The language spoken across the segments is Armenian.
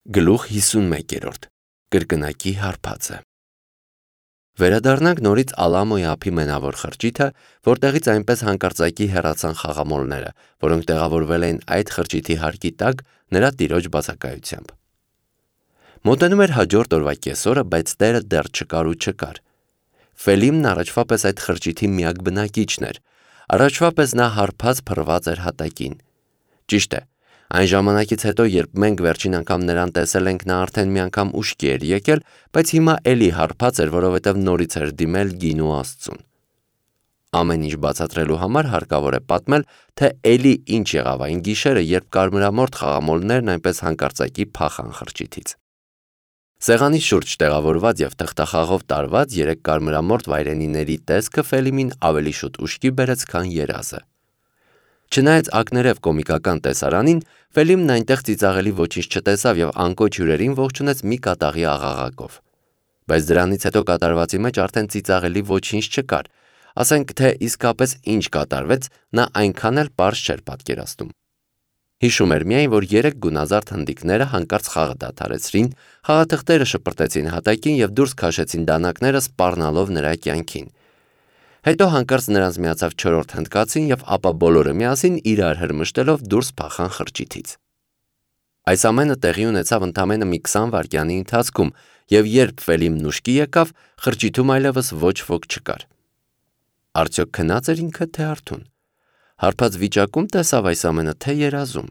Գլուխ 51 Կրկնակի հարբածը Վերադառնանք նորից Ալամոյի ափի մենավոր խրճիթը, որտեղից այնպես հանկարծակի հեռացան խաղամոլները, որոնք տեղավորվել էին այդ խրճիթի հարկի տակ նրա տիրոջ բացակայությամբ։ Մոտենում էր հաջորդ օրվա կեսօրը, բայց տերը դեռ չկար ու չկար։ Ֆելիմն առաջվա պես այդ խրճիթի միակ բնակիչն էր, առաջվա պես նա հարբած փռված էր հատակին։ Ճիշտ է, այն ժամանակից հետո, երբ մենք վերջին անգամ նրան տեսել ենք, նա արդեն մի անգամ ուշքի էր եկել, բայց հիմա էլի հարբած էր, որովհետև նորից էր դիմել գինու Աստծուն։ Ամեն ինչ բացատրելու համար հարկավոր է պատմել, թե էլի ինչ եղավ այն գիշերը, երբ կարմրամորթ խաղամոլներն այնպես հանկարծակի փախան խրճիթից։ Սեղանի շուրջ տեղավորված և թղթախաղով տարված 3 կարմրամորթ վայրենիների տեսքը Ֆելիմին ավելի շուտ ուշքի բերեց, քան երազը։ Չնայած ակներև կոմիկական տեսարանին, Ֆելիմն այնտեղ ծիծաղելի ոչինչ չտեսավ և անկոչ հյուրերին ողջունեց մի կատաղի աղաղակով։ Բայց դրանից հետո կատարվածի մեջ արդեն ծիծաղելի ոչինչ չկար, ասենք թե իսկապես ինչ կատարվեց, նա այնքան էլ պարզ չէր պատկերացնում։ Հիշում էր միայն, որ 3 գունազարդ հնդիկները հանկարծ խաղը դադարեցրին, խաղաթղթերը շպրտեցին հատակին և դուրս քաշեցին դանակները սպառնալով նրա կյանքին։ Հետո հանկարծ նրանց միացավ 4-րդ հնդկացին և ապա բոլորը միասին իրար հրմշտելով դուրս փախան խրճիթից։ Այս ամենը տեղի ունեցավ ընդամենը մի 20 վայրկյանի ընթացքում, և երբ Ֆելիմն ուշքի եկավ, խրճիթում այլևս ոչ ոք չկար։ Արդյոք քնա՞ծ էր ինքը, թե արթուն։ Հարբած վիճակում տեսավ այս ամենը, թե երազում։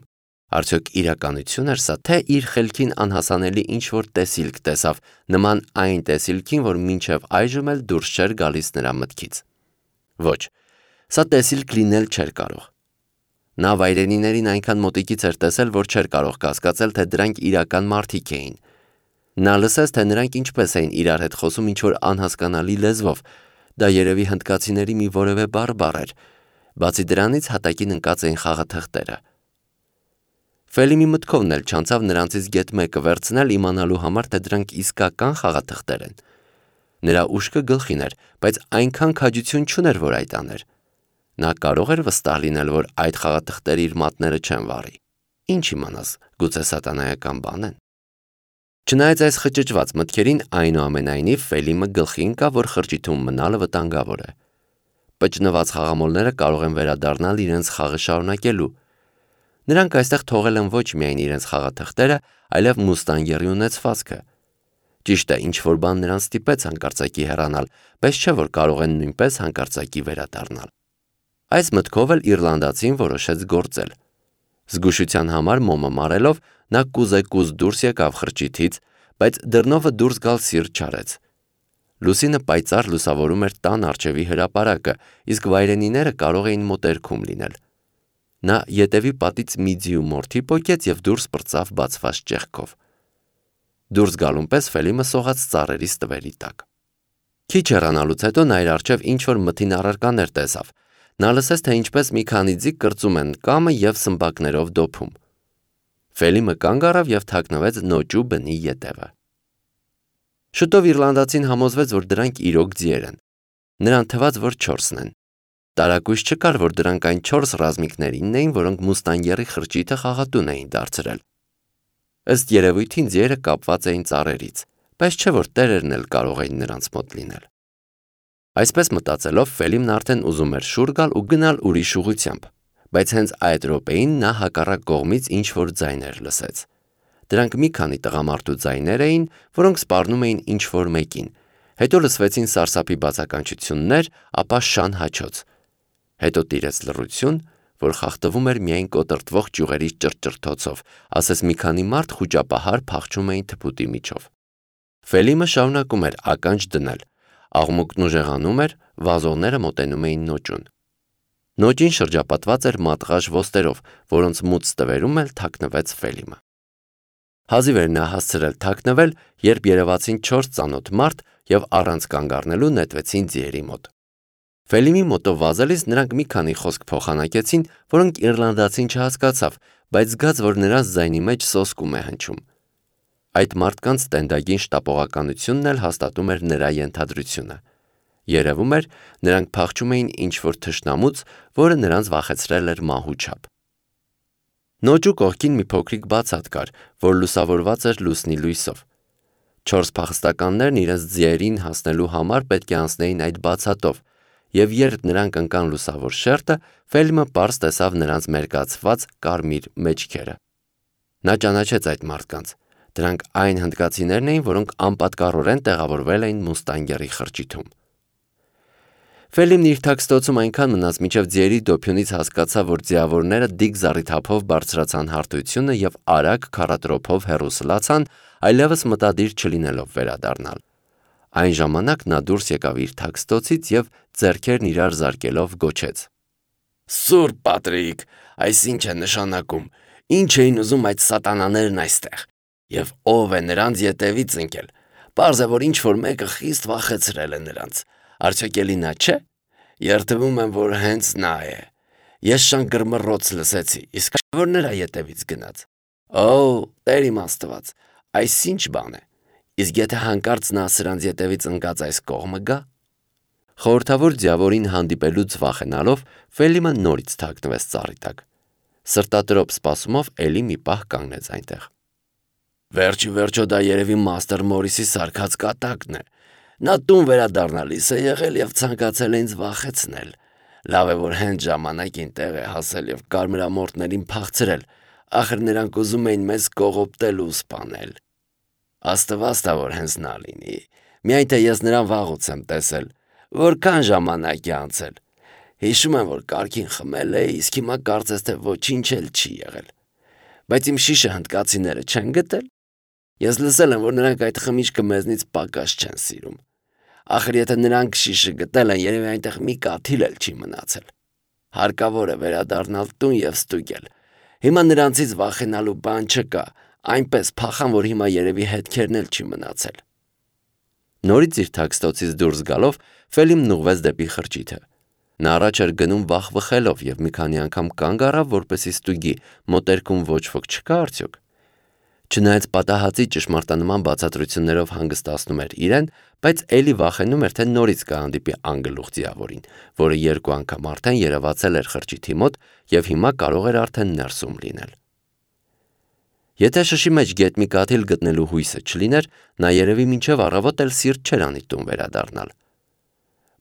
Արդյոք իրականություն էր սա, թե իր խելքին անհասանելի ինչ-որ տեսիլք տեսավ, նման այն տեսիլքին, որ մինչև այժմ էլ դուրս չէր գալիս նրա մտքից։ Ոչ, սա տեսիլք լինել չէր կարող։ Նա վայրենիներին այնքան մոտիկից էր տեսել, որ չէր կարող կասկածել, թե դրանք իրական մարդիկ էին։ Նա լսեց, թե նրանք ինչպես էին իրար հետ խոսում ինչ-որ անհասկանալի լեզվով, դա երևի հնդկացիների մի որևէ բառ էր, բացի դրանից հատակին ընկած էին խաղաթղթերը։ Ֆելիմի մտքովն էլ չանցավ նրանցից գեթ մեկը վերցնել, իմանալու համար, թե դրանք իսկական խաղաթղթեր են։ Նրա ուշքը գլխին էր, բայց այնքան քաջություն չուներ, որ այդ աներ։ Նա կարող էր վստահ լինել, որ այդ խաղաթղթերը իր մատները չեն վառի։ Ինչ իմանաս, գուցե սատանայական բան են։ Չնայած այս խճճված մտքերին, այնուամենայնիվ Ֆելիմը գլխի ընկավ, որ խրճիթում մնալը վտանգավոր է։ Պճնված խաղամոլները կարող են վերադառնալ իրենց խաղը շարունակելու։ Նրանք այստեղ թողել են ոչ միայն իրենց խաղաթղթերը, այլև մուստանգերի ունեցվածքը։ Ճիշտ է, ինչ-որ բան նրանց ստիպեց հանկարծակի հեռանալ, բայց չէ, որ կարող են նույնպես հանկարծակի վերադառնալ։ Այս մտքով էլ իռլանդացին որոշեց գործել։ Զգուշության համար մոմը մարելով, նա կուզեկուզ դուրս եկավ խրճիթից, բայց դռնովը դուրս գալ սիրտ չարեց։ Լուսինը պայծառ լուսավորում էր տան առջևի հրապարակը, իսկ վայրենիները կարող էին մոտերքում լինել։ Նա ետևի պատից մի ձիու մորթի պոկեց և դուրս պրծավ բացված ճեղքով։ Դուրս գալուն պես Ֆելիմը սողաց ծառերի ստվերի տակ։ Քիչ հեռանալուց հետո նա իր առջև ինչ-որ մթին առարկաներ տեսավ։ Նա լսեց, թե ինչպես մի քանի ձիգ կրծում են կամը և սմբակներով դոփում։ Ֆելիմը կանգ առավ և թաքնվեց նոճու բնի ետևը։ Շուտով իռլանդացին համոզվեց, որ դրանք իրոք ձիեր են։ Նրան թվաց, որ 4-ն են։ Տարակույս չկար, որ դրանք այն 4 ռազմիկներինն էին, որոնք մուստանգերի խրճիթը խաղատուն էին դարձրել։ Ըստ երևույթին ձիերը կապված էին ծառերից, բայց չէ որ տերերն էլ կարող էին նրանց մոտ լինել։ Այսպես մտածելով, Ֆելիմն արդեն ուզում էր շուռ գալ ու գնալ ուրիշ ուղղությամբ, բայց հենց այդ րոպեին նա հակառակ կողմից ինչ-որ ձայներ լսեց։ Դրանք մի քանի տղամարդու ձայներ էին, որոնք սպառնում էին ինչ-որ մեկին, հետո լսվեցին սարսափի բացականչություններ, ապա շան հաչոց։ Հետո տիրեց լռություն, որ խախտվում էր միայն կոտրտվող ճյուղերի ճռճռթոցով, ասես մի քանի մարդ խուճապահար փախչում էին թփուտի միջով։ Ֆելիմը շարունակում էր ականջ դնել, աղմուկն ուժեղանում էր, վազողները մոտենում էին նոճուն։ Նոճին շրջապատված էր մատղաշ ոստերով, որոնց մութ ստվերում էլ թաքնվեց Ֆելիմը։ Հազիվ էր նա հասցրել թաքնվել, երբ երևացին 4 ծանոթ մարդ և առանց կանգ առնելու նետվեցին ձիերի մոտ։ Ֆելիմի մոտով վազելիս նրանք մի քանի խոսք փոխանակեցին, որոնք իռլանդացին չհասկացավ, բայց զգաց, որ նրանց ձայնի մեջ սոսկում է հնչում։ Այդ մարդկանց տենդագին շտապողականությունն էլ հաստատում էր նրա ենթադրությունը։ Երևում էր, նրանք փախչում էին ինչ-որ թշնամուց, որը նրանց վախեցրել էր մահու չափ։ Նոճու կողքին մի փոքրիկ բացատ կար, որ լուսավորված էր լուսնի լույսով։ 4 փախստականներն իրենց ձիերին հասնելու համար պետք է անցնեին այդ բացատով, եւ երբ նրանք ընկան լուսավոր շերտը, Ֆելիմը պարզ տեսավ նրանց մերկացված կարմիր մեջքերը։ Նա ճանաչեց այդ մարդկանց։ Դրանք այն հնդկացիներն էին, որոնք անպատկառորեն տեղավորվել էին Մուստանգերի խրճիթում։ Ֆելիմն իր թաքստոցում այնքան մնաց, մինչև ձիերի դոփյունից հասկացավ, որ ձիավորները դիք զառիթափով բարձրացան հարթությունը եւ արագ քառատրոփով հեռու սլացան, այլևս մտադիր չլինելով վերադառնալ։ Այն ժամանակ նա դուրս եկավ իր թաքստոցից եւ ձեռքերն իրար զարկելով գոչեց. «Սուրբ Պատրիկ, այս ինչ է նշանակում։ Ինչ էին ուզում այդ սատանաներն այստեղ։ Եվ ով է նրանց ետևից ընկել։ Պարզ է, որ ինչ-որ մեկը խիստ վախեցրել է նրանց։ Արդյոք էլի նա չէ։ Երդվում եմ, որ հենց նա է։ Ես շան գրմռոց լսեցի, իսկ որ նրա ետևից գնաց։ Օ, Տեր իմ Աստված, այս ինչ բան է։ Իսկ եթե հանկարծ նա սրանց ետևից ընկած այս կողմը գա։ Խորհրդավոր ձիավորին հանդիպելուց վախենալով, Ֆելիմը նորից թաքնվեց ծառի տակ։ Սրտատրոփ սպասումով էլի մի պահ կանգնեց այնտեղ։ Վերջի վերջո դա երևի Մաստեր Մորիսի սարքած կատակն է։ Նա տուն վերադառնալիս է եղել եւ ցանկացել է ինձ վախեցնել։ Լավ է, որ հենց ժամանակին տեղ է հասել եւ կարմրամորտներին փախցրել։ Ախր նրանք ուզում էին մեզ կողոպտել ու սպանել։ Աստված տա, որ հենց նա լինի։ Միայն թե ես նրան վաղուց եմ տեսել։ Որքան ժամանակ է անցել։ Հիշում եմ, որ կարգին խմել է, իսկ հիմա կարծես թե ոչինչ էլ չի եղել։ Բայց իմ շիշը հնդկացիները չեն գտել։ Ես լսել եմ, որ նրանք այդ խմիչքը մեզնից պակաս չեն սիրում։ Ախր եթե նրանք շիշը գտել են, երևի այնտեղ մի կաթիլ էլ չի մնացել։ Հարկավոր է վերադառնալ տուն եւ ստուգել։ Հիմա նրանցից վախենալու բան չկա, այնպես փախան, որ հիմա երևի հետքերն էլ չի մնացել։ Նորից իր թաքստոցից դուրս գալով, Ֆելիմն ուղղվեց դեպի խրճիթը։ Նա առաջ էր գնում վախվխելով եւ մի քանի անգամ կանգ առավ, որպեսզի ստուգի, մոտերքում ոչ ոք չկա արդյոք։ Չնայած պատահածի ճշմարտանման բացատրություններով հանգստացնում էր իրեն, բայց էլի վախենում էր, թե նորից կհանդիպի անգլուխ ձիավորին, որը 2 անգամ արդեն երևացել էր խրճիթի մոտ եւ հիմա կարող էր արդեն ներսում լինել։ Եթե շշի մեջ գետնի կաթիլ գտնելու հույսը չլիներ, նա երևի մինչև առավոտ էլ սիրտ չէր անի տուն վերադառնալ։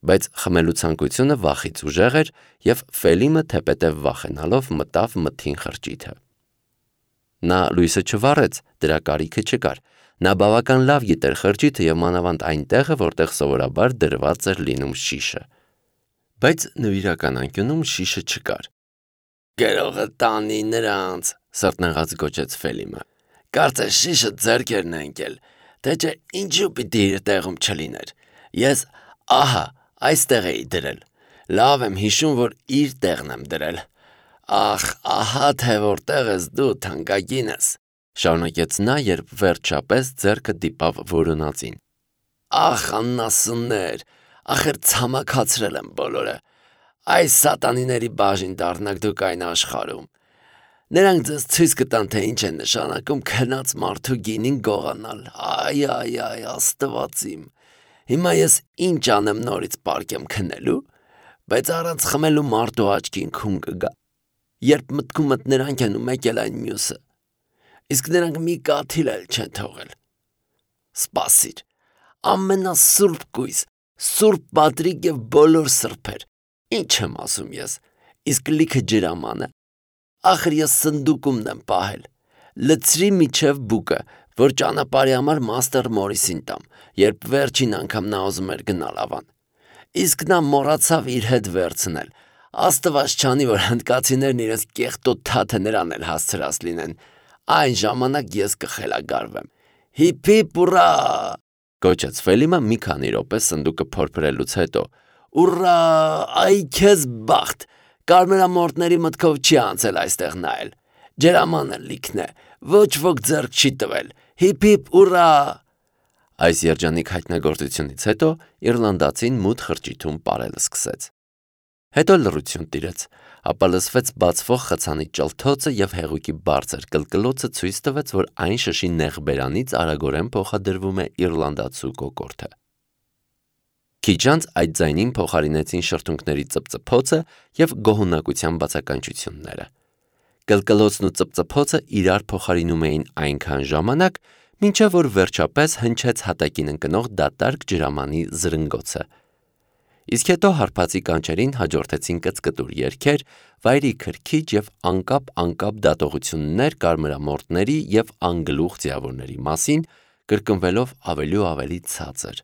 Բայց խմելու ցանկությունը վախից ուժեղ էր եւ Ֆելիմը թեպետեւ վախենալով մտավ մթին խրճիթը։ Նա լույսը չվառեց, դրա կարիքը չկար։ Նա բավական լավ գիտեր խրճիթը եւ մանավանդ այն տեղը, որտեղ սովորաբար դրված էր լինում շիշը։ Բայց նվիրական անկյունում շիշը չկար։ Գերողը տանի նրանց, սրտնեղած գոչեց Ֆելիմը։ Կարծես շիշը ձեռքերն է ընկել, թե չէ ինչու պիտի իր տեղում չլիներ։ Ես ահա այստեղ էի դրել։ Լավ եմ հիշում, որ իր տեղն եմ դրել։ Ախ, ահա թե որտեղ ես դու, թանկագինս, շարունակեց նա, երբ վերջապես ձեռքը դիպավ որոնածին։ Ախ, աննասուններ, ախր ցամաքացրել եմ բոլորը։ Այս սատանիների բաժին դառնաք դուք այն աշխարհում։ Նրանք ձեզ ցույց կտան, թե ինչ է նշանակում քնած մարդու գինին գողանալ։ Այ, Աստված իմ։ Հիմա ես ինչ անեմ նորից պարկեմ քնելու, բայց առանց խմելու մարդու աչքին քուն կգա։ Երբ մտքումդ նրանք են ու մեկ էլ այն մյուսը։ Իսկ նրանք մի կաթիլ էլ չեն թողել։ Սպասիր, ամենասուրբ կույս, Սուրբ Պատրիկ եւ բոլոր սրբեր։ Ինչ եմ ասում ես, իսկ լիքը ջրամանը։ Ախր ես սնդուկումն եմ պահել։ Լցրի միջև բուկը, որ ճանապարհի համար Մաստեր Մորիսին տամ, երբ վերջին անգամ նա ուզում էր գնալ ավան։ Իսկ նա մոռացավ իր հետ վերցնել։ Աստված չանի, որ հնդկացիներն իրենց կեղտոտ թաթը նրան էլ հասցրած լինեն։ Այն ժամանակ ես կխելագարվեմ։ Հիփ հիփ ուռա, գոչեց Ֆելիմը մի քանի րոպե սնդուկը փորփրելուց հետո։ Ուռա, այ քեզ բախտ։ Կարմրամորտների մտքով չի անցել այստեղ նայել։ Ջրամանը լիքն է, ոչ ոք ձեռք չի տվել։ Հիփ հիփ ուռա։ Այս երջանիկ հայտնագործությունից հետո իռլանդացին մութ խրճիթում պարել սկսեց։ Հետո լռություն տիրեց, ապա լսվեց բացվող խցանի ճլթոցը եւ հեղուկի բարձր կլկլոցը ցույց տվեց, որ այն շշի նեղ բերանից արագորեն փոխադրվում է իռլանդացու կոկորդը։ Քիչ անց այդ ձայնին փոխարինեցին շրթունքների ծպծփոցը եւ գոհունակության բացականչությունները։ Կլկլոցն ու ծպծփոցը իրար փոխարինում էին այնքան ժամանակ, մինչև որ վերջապես հնչեց հատակին ընկնող դատարկ ջրամանի զրնգոցը։ Իսկ հետո հարբածի կանչերին հաջորդեցին կծկտուր երգեր, վայրի քրքիջ և անկապ դատողություններ կարմրամորթների և անգլուխ ձիավորների մասին, կրկնվելով ավելի ու ավելի ցածր,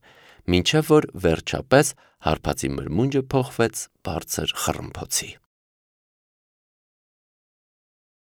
մինչև որ վերջապես հարբածի մրմունջը փոխվեց բարձր խռմփոցի։